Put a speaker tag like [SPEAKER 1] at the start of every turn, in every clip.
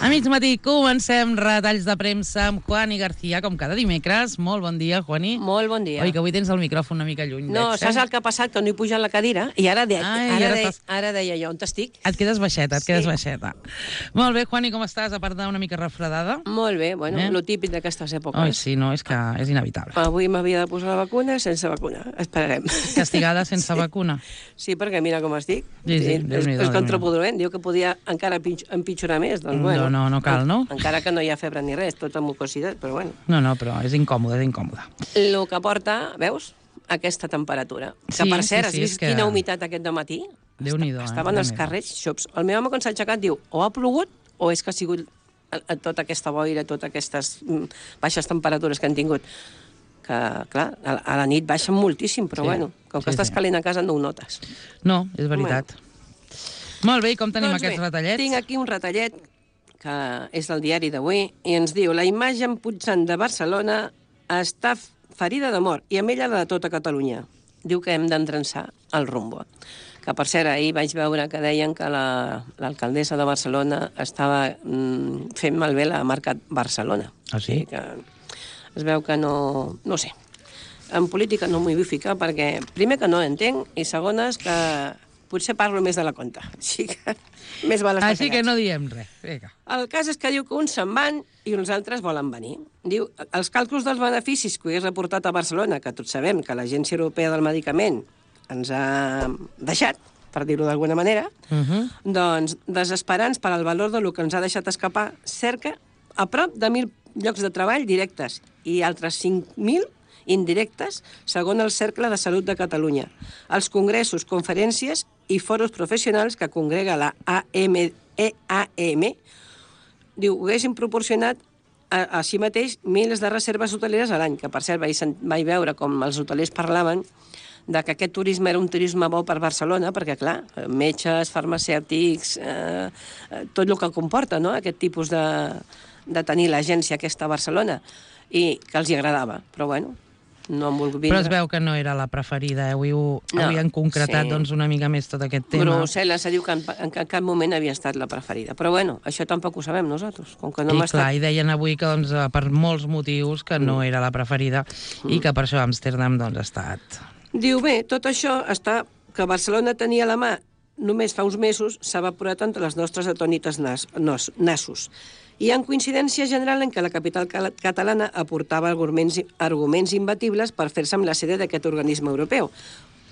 [SPEAKER 1] A mig matí comencem retalls de premsa amb Juani García, com cada dimecres. Molt bon dia, Juani.
[SPEAKER 2] Molt bon dia.
[SPEAKER 1] Oi, que avui tens el micròfon una mica lluny.
[SPEAKER 2] No,
[SPEAKER 1] veig,
[SPEAKER 2] saps el que ha passat? Que no he pujat la cadira i ara deia jo, on t'estic?
[SPEAKER 1] Et quedes baixeta, baixeta. Molt bé, Juani, com estàs? A part d'una mica refredada?
[SPEAKER 2] Molt bé, bueno, lo típic d'aquestes èpoques.
[SPEAKER 1] Oi, sí, no, és que és inevitable.
[SPEAKER 2] Avui m'havia de posar la vacuna sense vacuna. Esperarem.
[SPEAKER 1] Castigada sense vacuna?
[SPEAKER 2] Sí, perquè mira com estic.
[SPEAKER 1] Sí,
[SPEAKER 2] és contraproduent. Diu que podia encara empitjorar més. Doncs, bueno,
[SPEAKER 1] no cal, no?
[SPEAKER 2] Encara que no hi ha febre ni res, tota mucositat, però bueno.
[SPEAKER 1] No, però és incòmode, és incòmode.
[SPEAKER 2] El que porta, veus, aquesta temperatura. Que per cert, has vist quina humitat aquest dematí?
[SPEAKER 1] Déu-n'hi-do.
[SPEAKER 2] Estaven els carrers xops. El meu home, quan s'ha aixecat, diu o ha plogut o és que ha sigut tota aquesta boira, totes aquestes baixes temperatures que han tingut. Que, clar, a la nit baixen moltíssim, però bueno, com que estàs calent a casa no ho notes.
[SPEAKER 1] No, és veritat. Molt bé, i com tenim aquests retallets?
[SPEAKER 2] Tinc aquí un retallet que és del diari d'avui i ens diu: la imatge puixant de Barcelona està ferida de mort i amb ella la de tota Catalunya. Diu que hem d'endreçar el rumbo. Que, per cert, ahir vaig veure que deien que l'alcaldessa de Barcelona estava fent malbé la marca Barcelona.
[SPEAKER 1] Ah, sí?
[SPEAKER 2] Que es veu que no sé. En política no m'hi vull ficar perquè, primer, que no entenc, i segona, que potser parlo més de la compta. Així que més val estar callats.
[SPEAKER 1] Així que no diem res. Vinga.
[SPEAKER 2] El cas és que diu que uns se'n van i uns altres volen venir. Diu, els càlculs dels beneficis que he reportat a Barcelona, que tots sabem que l'Agència Europea del Medicament ens ha deixat, per dir-ho d'alguna manera, doncs, desesperants per al valor del que ens ha deixat escapar, cerca a prop de 1.000 llocs de treball directes i altres 5.000 indirectes, segons el Cercle de Salut de Catalunya. Els congressos, conferències i foros professionals que congrega la EAM, diu, haguessin proporcionat així mateix milers de reserves hoteleres a l'any, que per cert vaig veure com els hotelers parlaven de que aquest turisme era un turisme bo per Barcelona, perquè, clar, metges, farmacèutics, tot el que comporta, no?, aquest tipus de tenir l'agència aquesta a Barcelona, i que els hi agradava, però bueno, no han volgut vindre.
[SPEAKER 1] Però es veu que no era la preferida, avui han concretat doncs, una mica més tot aquest tema.
[SPEAKER 2] Brussel·les diu que en cap moment havia estat la preferida, però bueno, això tampoc ho sabem nosaltres. Com que no
[SPEAKER 1] I deien avui que doncs, per molts motius que no era la preferida i que per això Amsterdam doncs, ha estat...
[SPEAKER 2] Diu, bé, tot això està que Barcelona tenia a la mà només fa uns mesos s'ha evaporat entre les nostres atònites nassos. Hi ha coincidència general en què la capital catalana aportava arguments imbatibles per fer-se amb la sede d'aquest organisme europeu.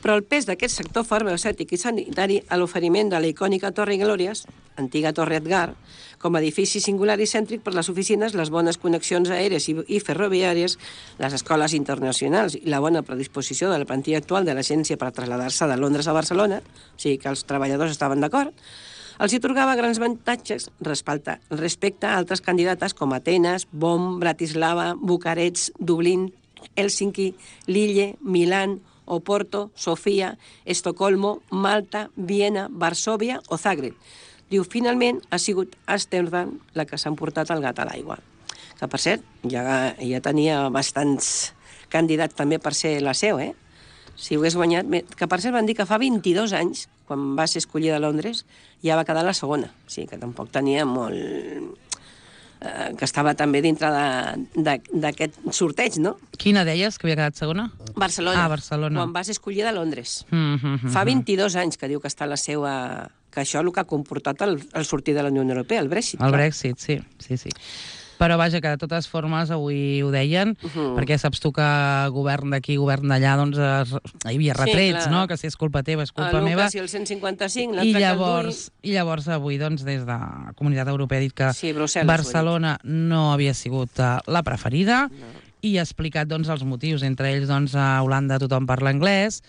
[SPEAKER 2] Però el pes d'aquest sector farmacèutic i sanitari a l'oferiment de la icònica Torre Glòries, antiga Torre Edgar, com a edifici singular i cèntric per les oficines, les bones connexions aèries i ferroviàries, les escoles internacionals i la bona predisposició de la plantilla actual de l'agència per traslladar-se de Londres a Barcelona, o sigui que els treballadors estaven d'acord, els atorgava grans avantatges respecte a altres candidates com Atenes, Bonn, Bratislava, Bucarest, Dublín, Hèlsinki, Lille, Milán, Oporto, Sofia, Estocolmo, Malta, Viena, Varsòvia o Zagreb. Diu, finalment ha sigut Amsterdam la que s'ha emportat el gat a l'aigua. Que, per cert, ja tenia bastants candidats també per ser la seu, Si ho hagués guanyat... Que, per cert, van dir que fa 22 anys, quan va ser escollida a Londres, ja va quedar la segona. O sigui, que tampoc tenia molt... que estava també dintre d'aquest sorteig, no?
[SPEAKER 1] Quina deies, que havia quedat segona?
[SPEAKER 2] Barcelona.
[SPEAKER 1] Barcelona.
[SPEAKER 2] Quan va ser escollida a Londres. Fa 22 anys que diu que està la seva... que això és el que ha comportat el sortir de la Unió Europea, el Brexit.
[SPEAKER 1] El Brexit, sí. Però vaja, que de totes formes avui ho deien, perquè saps tu que govern d'aquí, govern d'allà, doncs hi havia retrets, no? Que si és culpa teva, és culpa meva.
[SPEAKER 2] El el 155, l'altre que el Dui...
[SPEAKER 1] I llavors avui, doncs, des de la Comunitat Europea ha dit que Barcelona no havia sigut la preferida i ha explicat, doncs, els motius. Entre ells, doncs, a Holanda tothom parla anglès,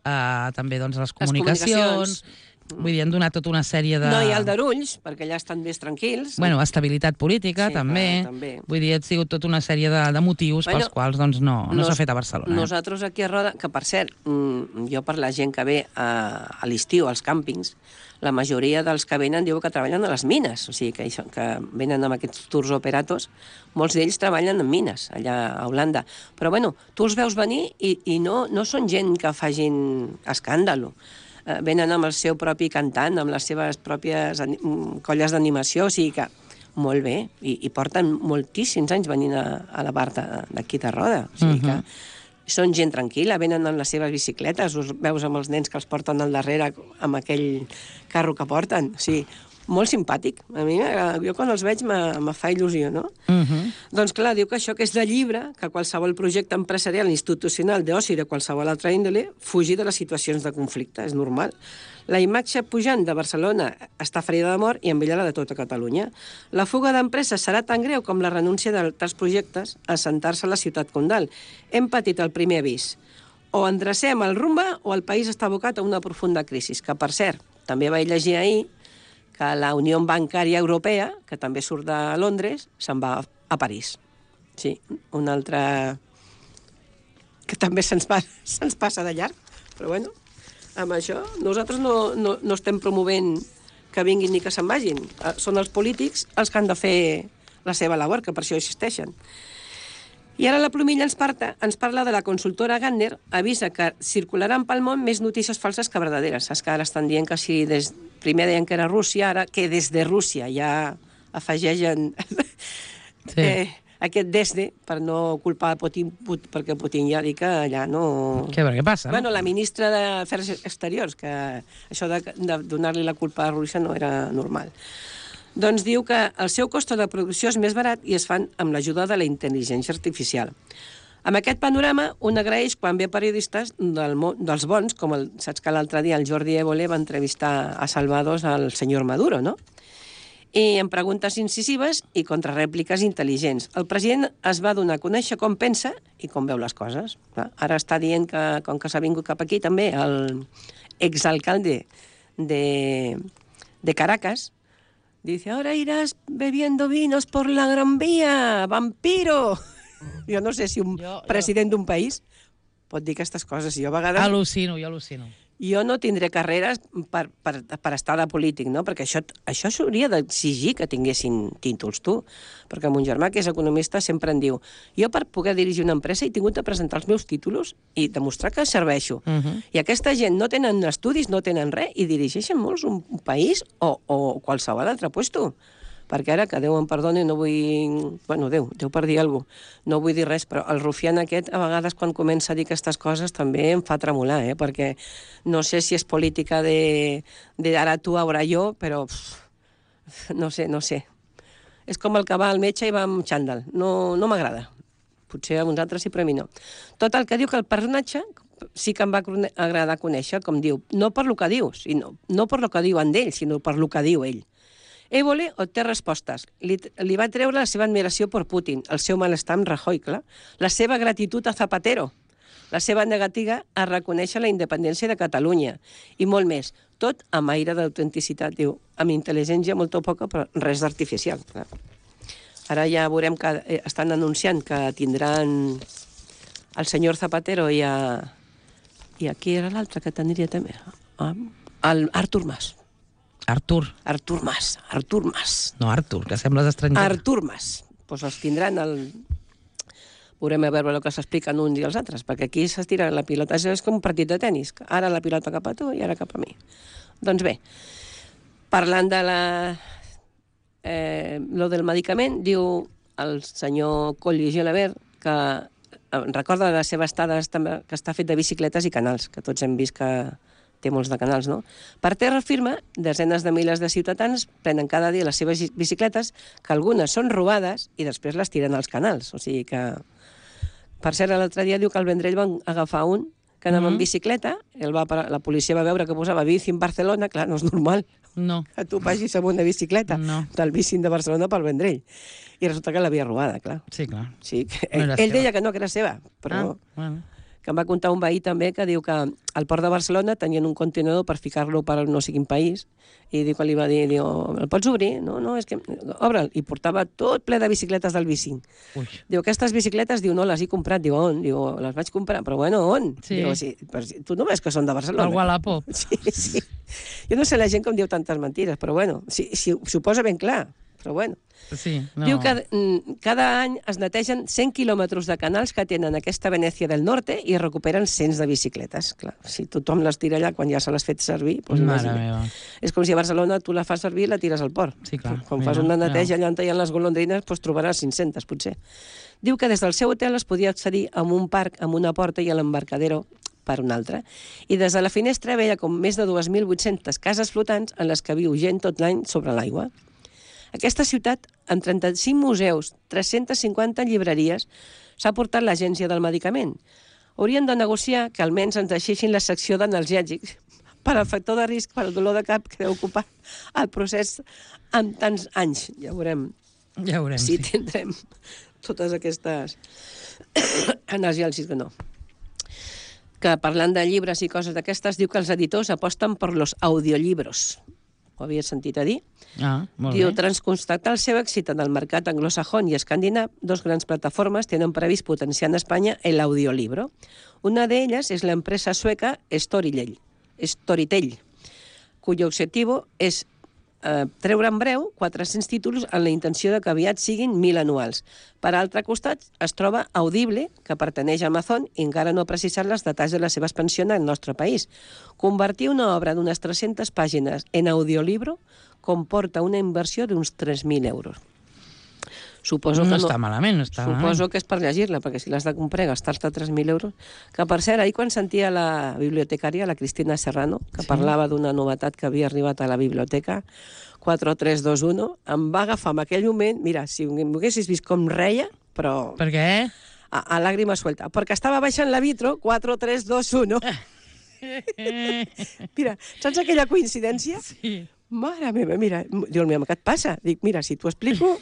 [SPEAKER 1] també, doncs, les comunicacions... Vull dir, han donat tota una sèrie de...
[SPEAKER 2] No, i aldarulls, perquè allà estan més tranquils.
[SPEAKER 1] Bueno, estabilitat política, també. Vull dir, ha sigut tota una sèrie de motius pels quals doncs, no s'ha fet a Barcelona.
[SPEAKER 2] Nosaltres aquí a Roda, que per cert, jo per la gent que ve a l'estiu als càmpings, la majoria dels que venen diu que treballen a les mines, o sigui, que venen amb aquests tours operatos, molts d'ells treballen en mines, allà a Holanda. Però, bueno, tu els veus venir i no són gent que facin escàndalo. Venen amb el seu propi cantant, amb les seves pròpies colles d'animació, o sigui que molt bé, i porten moltíssims anys venint a la bar d'aquí de Roda. O sigui que són gent tranquil·la, venen amb les seves bicicletes, us veus amb els nens que els porten al darrere amb aquell carro que porten. O sigui, molt simpàtic. A mi, jo quan els veig me fa il·lusió, no? Doncs clar, diu que això que és de llibre, que qualsevol projecte empresarial, institucional, d'oci, de qualsevol altra índole, fugi de les situacions de conflicte, és normal. La imatge pujant de Barcelona està ferida de mort i amb ella la de tota Catalunya. La fuga d'empreses serà tan greu com la renúncia d'altres projectes a assentar-se a la ciutat condal. Hem patit el primer avís. O endrecem el rumba o el país està abocat a una profunda crisi, que, per cert, també vaig llegir ahir que la Unió Bancària Europea, que també surt de Londres, se'n va a París. Sí, una altra que també se'ns passa de llarg. Però bueno, amb això nosaltres no estem promovent que vinguin ni que se'n vagin. Són els polítics els que han de fer la seva labor, que per això existeixen. I ara la Plomilla ens parla de la consultora Gardner, avisa que circularan pel món més notícies falses que verdaderes. Saps que ara estan dient que si primer deien que era Rússia, ara que des de Rússia ja afegeixen aquest desde per no culpar Putin, perquè Putin ja diu que allà no...
[SPEAKER 1] Què passa?
[SPEAKER 2] Bueno, la ministra d'Afers Exteriors, que això de donar-li la culpa a Rússia no era normal. Doncs diu que el seu cost de producció és més barat i es fan amb l'ajuda de la intel·ligència artificial. Amb aquest panorama, un agraeix quan ve periodistes dels bons, com saps que l'altre dia el Jordi Évole va entrevistar a Salvados al senyor Maduro, no? I amb preguntes incisives i contrarèpliques intel·ligents. El president es va donar a conèixer com pensa i com veu les coses. Ara està dient que, com que s'ha vingut cap aquí també, el exalcalde de Caracas, dice, ahora irás bebiendo vinos por la Gran Vía, vampiro! Jo no sé si un president d'un país pot dir aquestes coses. Jo a vegades...
[SPEAKER 1] Al·lucino.
[SPEAKER 2] Jo no tindré carreres per estar de polític, no? Perquè això s'hauria d'exigir que tinguessin títols, tu. Perquè mon germà, que és economista, sempre em diu jo per poder dirigir una empresa he tingut de presentar els meus títols i demostrar que serveixo. I aquesta gent no tenen estudis, no tenen res, i dirigeixen molts un país o qualsevol altre puesto. Perquè ara, que Déu em perdoni, no vull... Bueno, Déu per dir alguna cosa. No vull dir res, però el rufián aquest, a vegades, quan comença a dir aquestes coses, també em fa tremolar, perquè no sé si és política de ara tu, ara jo, però no sé. És com el que va al metge i va amb xandall. No m'agrada. Potser a uns altres sí, però a mi no. Tot el que diu que el personatge sí que em va agradar conèixer, com diu, no per lo que diu, no per lo que diuen d'ell, sinó per lo que diu ell. Évole obté respostes. Li va treure la seva admiració per Putin, el seu malestar amb Rajoy, clar, la seva gratitud a Zapatero, la seva negativa a reconèixer la independència de Catalunya i molt més. Tot amb aire d'autenticitat, diu, amb intel·ligència molt o poca, però res d'artificial. Ara ja veurem que estan anunciant que tindran el senyor Zapatero i qui era l'altre que tindria també? Artur Mas.
[SPEAKER 1] Artur
[SPEAKER 2] Mas.
[SPEAKER 1] No, Artur, que sembles estranger.
[SPEAKER 2] Artur Mas. Doncs els tindran Veurem a veure el que s'expliquen uns i els altres, perquè aquí s'estira la pilota. És com un partit de tennis. Ara la pilota cap a tu i ara cap a mi. Doncs bé, parlant de lo del medicament, diu el senyor Coll i Gelabert que recorda la seva estada que està fet de bicicletes i canals, que tots hem vist que té molts de canals, no? Per terra firma, desenes de milers de ciutadans prenen cada dia les seves bicicletes, que algunes són robades i després les tiren als canals. O sigui que... Per cert, l'altre dia diu que al Vendrell van agafar un que anava en bicicleta, la policia va veure que posava bici en Barcelona, clar, no és normal que tu vagis amb una bicicleta del bici de Barcelona pel Vendrell. I resulta que l'havia robada, clar.
[SPEAKER 1] Sí, clar.
[SPEAKER 2] Sí, ell deia que no, que era seva, però... Que em va contar un veí també que diu que al port de Barcelona tenien un contenidor per ficar-lo per no sé quin país i diu que li va dir, el pots obrir? No, és que obre'l. I portava tot ple de bicicletes del bicing. Diu, aquestes bicicletes, no les he comprat. Diu, on? Diu, les vaig comprar. Però bueno, on? Diu, sí, tu no ves que són de Barcelona?
[SPEAKER 1] El Wallapop.
[SPEAKER 2] Sí. Jo no sé la gent com diu tantes mentires, però bueno, si ho posa ben clar. però bueno.
[SPEAKER 1] Sí, no.
[SPEAKER 2] Diu que cada any es netegen 100 quilòmetres de canals que tenen aquesta Venècia del Norte i recuperen cents de bicicletes. Clar, si tothom les tira allà quan ja se les fet servir, doncs imagina. És com si a Barcelona tu la fas servir i la tires al port.
[SPEAKER 1] Sí, clar.
[SPEAKER 2] Quan fas una neteja allà on hi ha les golondrines, doncs trobaràs 500, potser. Diu que des del seu hotel es podia accedir a un parc amb una porta i a l'embarcadero per una altra. I des de la finestra veia com més de 2.800 cases flotants en les que viu gent tot l'any sobre l'aigua. Aquesta ciutat, amb 35 museus, 350 llibreries, s'ha portat l'Agència del Medicament. Haurien de negociar que almenys ens deixessin la secció d'analgèsics per al factor de risc per al dolor de cap que deu ocupar el procés en tants anys. Ja veurem si tindrem totes aquestes analgèsics que no. Que parlant de llibres i coses d'aquestes, diu que els editors aposten per los audiolibros. Ho havia sentit a dir?
[SPEAKER 1] Molt
[SPEAKER 2] Diu,
[SPEAKER 1] bé.
[SPEAKER 2] tras constatar el seu èxit en el mercat anglosajón i escandinav, dos grans plataformes tenen previst potenciar en Espanya l'audiolibro. Una d'elles és l'empresa sueca Storytel, cuyo objetivo és treure en breu 400 títols amb la intenció de que aviat siguin 1.000 anuals. Per altre costat, es troba Audible, que pertaneix a Amazon i encara no ha precisat els detalls de la seva expansió en el nostre país. Convertir una obra d'unes 300 pàgines en audiolibro comporta una inversió d'uns 3.000 euros. Suposo que
[SPEAKER 1] no està malament, no està malament.
[SPEAKER 2] Suposo que és per llegir-la, perquè si l'has de comprar i gastar-te 3.000 euros... Que, per cert, ahir quan sentia la bibliotecària, la Cristina Serrano, que parlava d'una novetat que havia arribat a la biblioteca, 4321, em va agafar en aquell moment... Mira, si m'haguessis vist com reia, però...
[SPEAKER 1] Per què?
[SPEAKER 2] A làgrima suelta. Perquè estava baixant la Vitro, 4321. Mira, saps aquella coincidència?
[SPEAKER 1] Sí.
[SPEAKER 2] Mare meva, mira, diu el meu, què et passa? Dic, mira, si t'ho explico,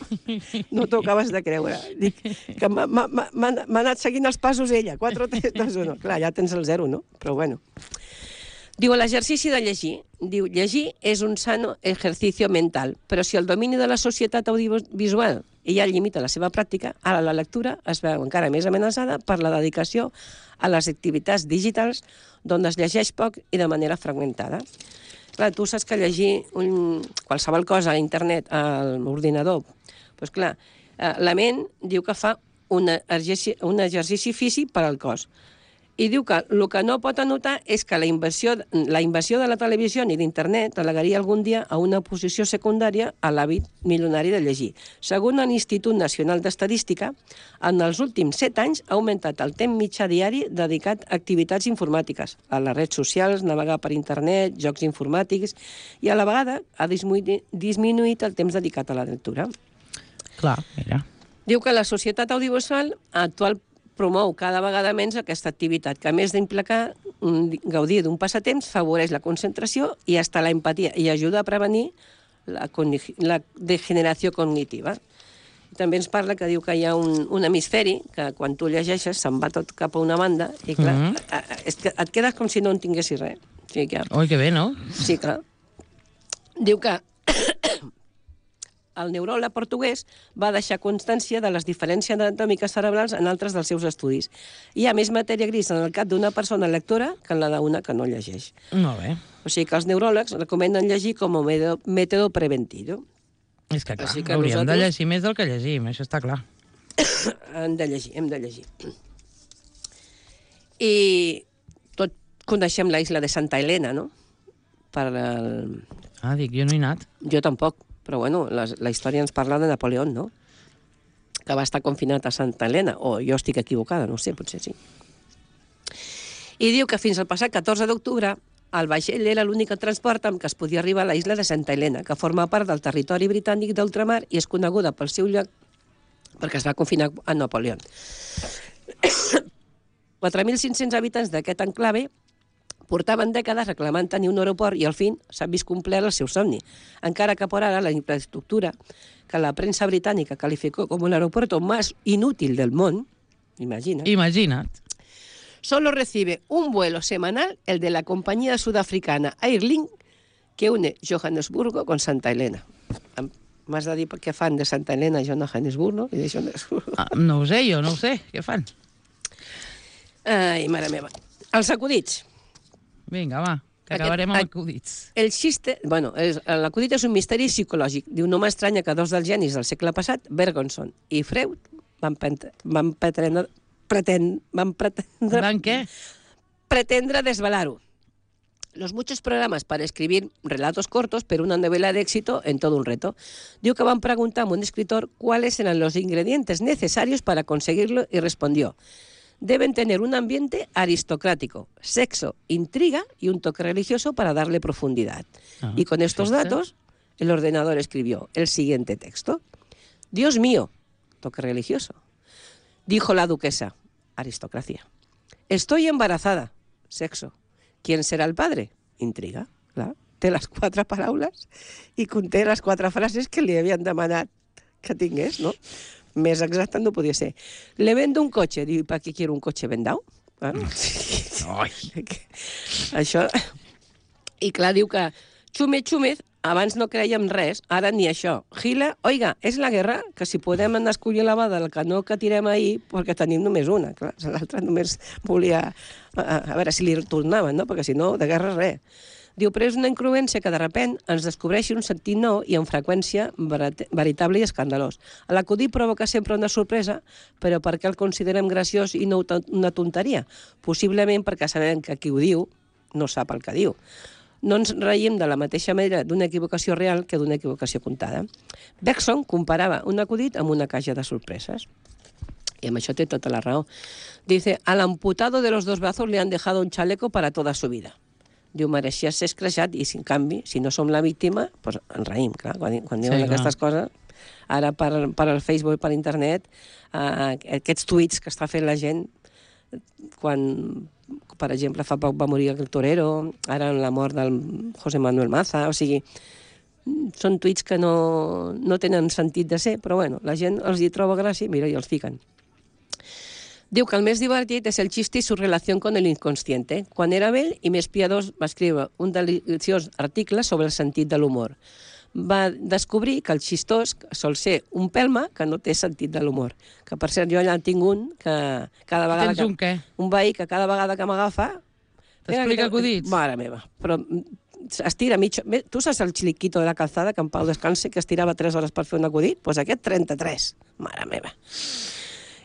[SPEAKER 2] no t'ho acabes de creure. Dic, que m'ha anat seguint els passos ella, 4, 3, 2, 1. Clar, ja tens el 0, no? Però bueno. Diu, l'exercici de llegir. Diu, llegir és un sano ejercicio mental, però si el domini de la societat audiovisual ja limita la seva pràctica, ara la lectura es veu encara més amenaçada per la dedicació a les activitats digitals d'on es llegeix poc i de manera fragmentada. Clar, tu saps que llegir qualsevol cosa a internet, a l'ordinador, doncs clar, la ment diu que fa un exercici físic per al cos. I diu que el que no pot anotar és que la invasió de la televisió ni d'internet allegaria algun dia a una posició secundària a l'hàbit milionari de llegir. Segons l'Institut Nacional d'Estadística, en els últims 7 anys ha augmentat el temps mitjà diari dedicat a activitats informàtiques, a les redes socials, navegar per internet, jocs informàtics, i a la vegada ha disminuït el temps dedicat a la lectura.
[SPEAKER 1] Clar, mira.
[SPEAKER 2] Diu que la societat audiovisual actual promou cada vegada menys aquesta activitat, que a més d'implicar gaudir d'un passatemps, favoreix la concentració i hasta la empatia i ajuda a prevenir la degeneració cognitiva. També ens parla que diu que hi ha un hemisferi que quan tu llegeixes se'n va tot cap a una banda i clar, és que et quedes com si no en tinguessis res. Sí, que...
[SPEAKER 1] Oi, que bé, no?
[SPEAKER 2] Sí, clar. Diu que el neuròleg portuguès va deixar constància de les diferències anatòmiques cerebrals en altres dels seus estudis. Hi ha més matèria gris en el cap d'una persona lectora que en la d'una que no llegeix.
[SPEAKER 1] Molt bé.
[SPEAKER 2] O sigui que els neuròlegs recomenden llegir com a mètode preventiu.
[SPEAKER 1] És que clar, hauríem de llegir més del que llegim, això està clar.
[SPEAKER 2] Hem de llegir. I tot coneixem la isla de Santa Helena, no?
[SPEAKER 1] Dic, jo no he anat.
[SPEAKER 2] Jo tampoc. Però, bueno, la història ens parla de Napoleó, no? Que va estar confinat a Santa Helena. O jo estic equivocada, no sé, potser sí. I diu que fins al passat 14 d'octubre el vaixell era l'únic transport amb què es podia arribar a la isla de Santa Helena, que forma part del territori britànic d'ultramar i és coneguda pel seu lloc perquè es va confinar a Napoleó. 4.500 habitants d'aquest enclave portaven dècades reclamant tenir un aeroport i al fin s'ha vist complert el seu somni. Encara que por ara la infraestructura que la premsa britànica calificó com el aeropuerto más inútil del món,
[SPEAKER 1] Imagina't.
[SPEAKER 2] Solo recibe un vuelo semanal, el de la compañía sudafricana Airlink, que une Johannesburgo con Santa Helena. M'has de dir què fan de Santa Helena a Johannesburgo?
[SPEAKER 1] No ho sé, jo no ho sé. Què fan?
[SPEAKER 2] Ai, mare meva. Els acudits.
[SPEAKER 1] Vinga, va. Que acabarem amb acudits.
[SPEAKER 2] El xiste... Bueno, l'acudit és un misteri psicològic. Diu, no m'estranya que dos dels genis del segle passat, Bergson i Freud, van pretendre desvelar-ho. Los muchos programas para escribir relatos cortos, pero una novela de éxito en todo un reto. Diu que van preguntar a un escritor cuáles eran los ingredientes necesarios para conseguirlo y respondió: deben tener un ambiente aristocrático, sexo, intriga y un toque religioso para darle profundidad. Y con estos datos, el ordenador escribió el siguiente texto. Dios mío, toque religioso. Dijo la duquesa, aristocracia. Estoy embarazada, sexo. ¿Quién serà el padre? Intriga, clar. Té les 4 paraules i conté les 4 frases que li havien demanat que tingués, no? Més exacte no podia ser. Le vendo un cotxe. Diu, ¿para qué quiero un cotxe vendau? Això... I clar, diu que Chúmez, abans no creiem res, ara ni això. Gila, oiga, és la guerra, que si podem anar a escollir la bada del canó que tirem ahir, perquè tenim només una. Clar, l'altra només volia... A veure si li tornaven, no? Perquè si no, de guerra res. Diu, però és una incongruència que de sobte ens descobreixi un sentit nou i amb freqüència veritable i escandalós. L'acudit provoca sempre una sorpresa, però per què el considerem graciós i no una tonteria? Possiblement perquè sabem que qui ho diu no sap el que diu. No ens reiem de la mateixa manera d'una equivocació real que d'una equivocació contada. Bergson comparava un acudit amb una caixa de sorpreses. Y amb això té tota la raó. Dice, al amputado de los 2 brazos le han dejado un chaleco para toda su vida. Diu, mereixia ser escreixat i, en canvi, si no som la víctima, doncs ens reïm, clar, quan diuen aquestes coses. Ara, per al Facebook i per internet, aquests tuits que està fent la gent, quan, per exemple, fa poc va morir el Torero, ara en la mort del José Manuel Maza, o sigui, són tuits que no tenen sentit de ser, però bueno, la gent els hi troba gràcia, mira, i els fiquen. Diu que el més divertit és el xiste i su relació con el inconsciente. Quan era vell i més piadós va escriure un deliciós article sobre el sentit de l'humor. Va descobrir que el xistós sol ser un pelma que no té sentit de l'humor. Que, per cert, jo allà tinc un que cada vegada...
[SPEAKER 1] Tens un què?
[SPEAKER 2] Un veí que cada vegada que m'agafa...
[SPEAKER 1] T'explica acudits?
[SPEAKER 2] Mare meva, però estira mig... Tu saps el xiliquito de la calzada, que en Pau descanse, que estirava 3 hores per fer un acudit? Doncs aquest 33. Mare meva.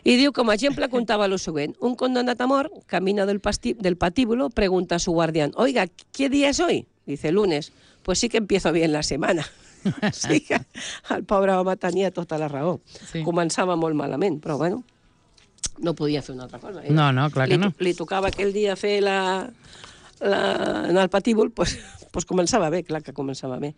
[SPEAKER 2] Y diu, como ejemplo, contaba lo siguiente. Un condenado a mort camina del patíbulo, pregunta a su guardián, oiga, ¿qué día es hoy? Dice, lunes. Pues sí que empiezo bien la setmana. Sí que el pobre home tenia tota la raó. Sí. Començava molt malament, però bueno, no podia fer una altra cosa.
[SPEAKER 1] No, clar que no.
[SPEAKER 2] Li tocava aquell dia fer en el patíbul, pues començava bé, clar que començava bé.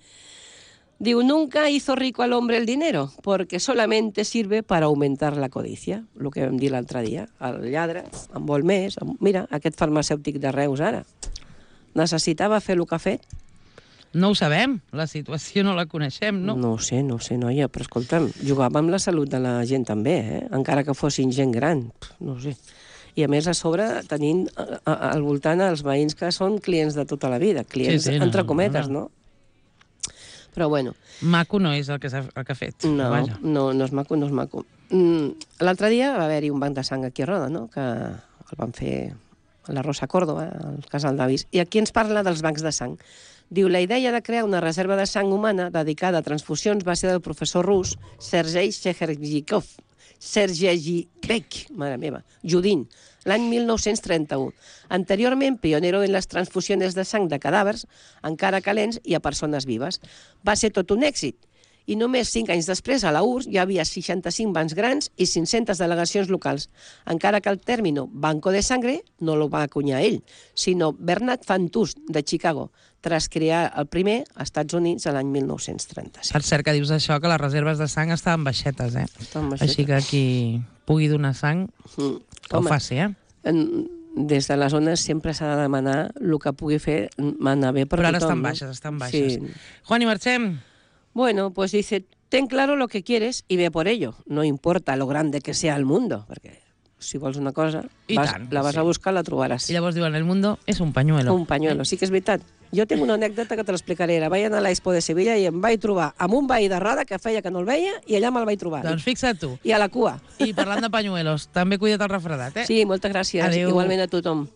[SPEAKER 2] Diu, nunca hizo rico al hombre el dinero, porque solamente sirve para aumentar la codicia. El que vam dir l'altre dia. El lladre en vol més. Mira, aquest farmacèutic de Reus ara. Necessitava fer el que ha fet.
[SPEAKER 1] No ho sabem, la situació no la coneixem, no?
[SPEAKER 2] No ho sé, noia, però escolta'm, jugava amb la salut de la gent també, encara que fossin gent gran, no ho sé. I a més, a sobre, tenint al voltant els veïns que són clients de tota la vida, clients entre cometes, no? Però bueno.
[SPEAKER 1] Maco no és el que ha fet.
[SPEAKER 2] No és maco, no és maco. L'altre dia va haver-hi un banc de sang aquí a Roda, no?, que el van fer a la Rosa Córdoba, al Casal d'Avis, i aquí ens parla dels bancs de sang. Diu, la idea de crear una reserva de sang humana dedicada a transfusions va ser del professor rus Sergei Sergeyevich, mare meva, Judin, l'any 1931. Anteriorment, pionero en les transfusiones de sang de cadàvers, encara calents i a persones vives. Va ser tot un èxit. I només 5 anys després, a la URSS, hi havia 65 bancs grans i 500 delegacions locals, encara que el término Banco de Sangre no lo va acunyar ell, sinó Bernard Fantus, de Chicago, tras crear el primer als Estats Units l'any 1936.
[SPEAKER 1] Per cert que dius això, que les reserves de sang estaven baixetes, Així que qui pugui donar sang, que ho faci,
[SPEAKER 2] Des de les zones sempre s'ha de demanar el que pugui fer anar bé per tothom.
[SPEAKER 1] Però ara estan baixes. Sí. Juan, i marxem.
[SPEAKER 2] Bueno, pues dice, ten claro lo que quieres y ve por ello. No importa lo grande que sea el mundo, perquè si vols una cosa, la vas a buscar, la trobaràs.
[SPEAKER 1] I llavors diuen, el mundo és un pañuelo.
[SPEAKER 2] Un pañuelo, sí que és veritat. Jo tinc una anècdota que te l'explicaré. Vaig anar a l'Expo de Sevilla i em vaig trobar amb un veí de Roda que feia que no el veia i allà me'l vaig trobar.
[SPEAKER 1] Doncs fixa't tu.
[SPEAKER 2] I a la cua.
[SPEAKER 1] I parlant de pañuelos, també cuida't el refredat,
[SPEAKER 2] Sí, moltes gràcies.
[SPEAKER 1] Adéu.
[SPEAKER 2] Igualment a tothom.